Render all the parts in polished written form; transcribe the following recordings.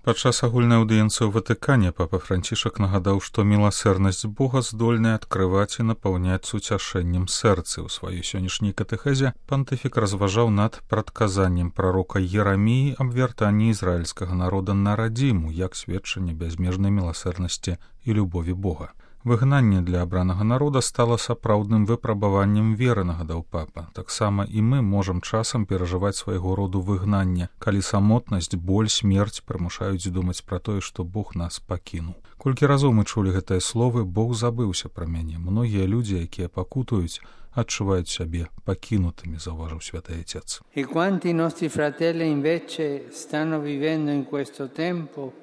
Падчас агульнай аўдыенцыі ў Ватыкане папа Францішак нагадаў, што міласэрнасць Бога здольная адкрываць і напаўняць суцяшэннем сэрцы. У сваёй сённяшняй катэхезе пантыфік разважаў над прадказаннем прарока Ераміі аб вяртанні ізраільскага народа на радзіму, як сведчанне бязмежнай міласэрнасці і любові Бога. Выгнанне для абранага народа стала сапраўдным выпрабаваннем веры, нагадаў папа. Таксама і мы можам часам перажываць свайго роду выгнанне, калі самотнасць, боль, смерць прымушаюць думаць пра тое, што Бог нас пакінуў. Колькі разоў мы чулі гэтыя словы, Бог забыўся пра мяне. Многія людзі, якія пакутуюць, адчуваюць сябе пакінутымі, заўважыў святы Отец. E quanti nostri fratelli invece stanno vivendo in questo tempo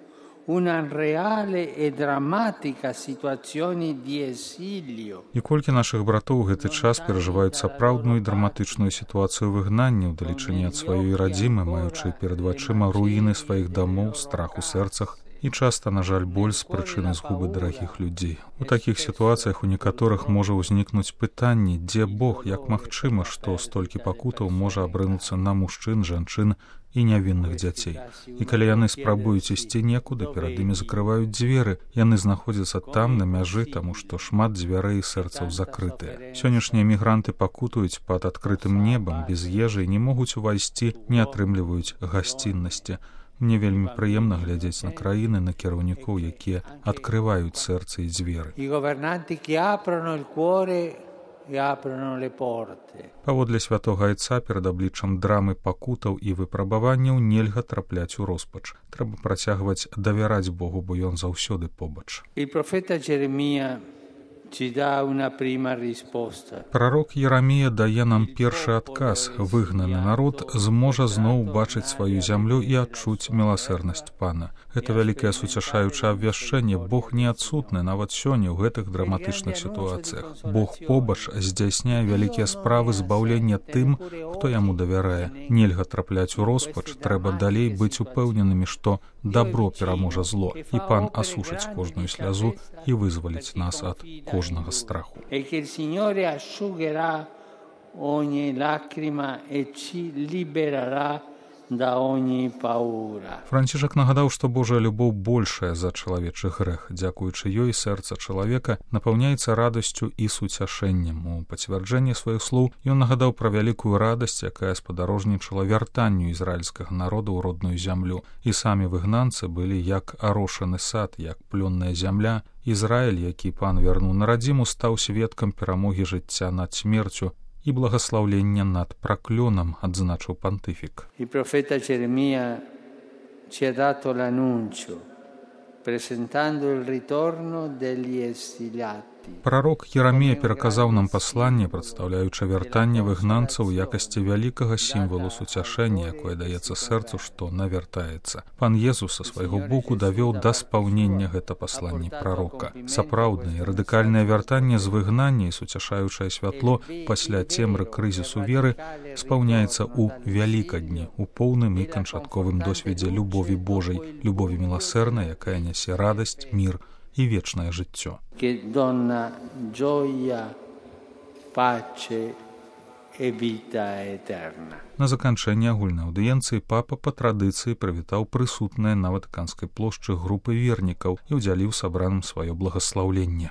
una reale e drammatica situazione di esilio. І колькі нашых братоў у гэты час перажываюць сапраўдную і драматычную сітуацыю выгнання, удалечыні ад сваёй радзімы, маючы перад вачыма руіны сваіх дамоў, страх у сэрцах і часта, на жаль, боль з прычыны згубы дарагіх людзей. У такіх сітуацыях у некаторых можа ўзнікнуць пытанне, дзе Бог, як магчыма, што столькі пакутаў можа абрынуцца на мужчын, жанчын і нявінных дзяцей. І калі яны спрабуюць ісці некуды, перад імі закрываюць дзверы, яны знаходзяцца там, на мяжы, таму што шмат дзвярэй і сэрцаў закрытыя. Сённяшнія мігранты пакутуюць пад адкрытым небам, без ежы і не могуць увайсці, не атрымліваюць гасціннасці. Мне вельмі прыемна глядзець на краіны, на кіраўнікоў, якія адкрываюць сэрцы і дзверы. Паводле святога Айца перад абліччам драмы пакутаў і выпрабаванняў нельга трапляць у роспач. Трэба працягваць давяраць Богу, бо ён заўсёды побач. Прарок Ерамія дае нам першы адказ. Выгнаны народ зможа зноў бачыць сваю зямлю і адчуць міласэрнасць Пана. Гэта вялікае суцяшаючае абвяшчэнне. Бог не адсутны нават сёння ў гэтых драматычных сітуацыях. Бог побач здзяйсняе вялікія справы збаўлення тым, хто яму давярае. Нельга трапляць у роспач, трэба далей быць упэўненымі, што дабро пераможа зло, і Пан асушыць кожную слязу і вызваліць нас ад кожнага страху. Францішак нагадаў, што Божая любоў большая за чалавечы грэх. Дзякуючы ёй сэрца чалавека напаўняецца радасцю і суцяшэннем. У пацвярджэнні сваіх слоў ён нагадаў пра вялікую радасць, якая спадарожнічала вяртанню ізраільскага народа ў родную зямлю. І самі выгнанцы былі як арошаны сад, як плённая зямля. Ізраіль, які Пан вярнуў на радзіму, стаў сведкам перамогі жыцця над смерцю і благаслаўлення над праклёнам, адзначыў пантыфік. Il profeta Geremia ci ha dato l'annuncio, presentando il ritorno degli esiliati. Прарок Ерамія пераказаў нам пасланне, прадстаўляючы вяртанне выгнанцаў у якасці вялікага сімвалу суцяшэння, якое даецца сэрцу, што навяртаецца. Пан Езус са свайго боку давёў да спаўнення гэта пасланне прарока. Сапраўднае радыкальнае вяртанне з выгнання і суцяшаючае святло пасля цемры крызісу веры спаўняецца ў вялікадні, у поўным і канчатковым досведзе любові Божай, любові міласэрнай, якая нясе радасць, мір і вечнае жыццё. На заканчэнне агульнай аўдыенцыі папа па традыцыі прывітаў прысутныя на Ватыканскай плошчы групы вернікаў і ўдзяліў сабраным сваё благаслаўленне.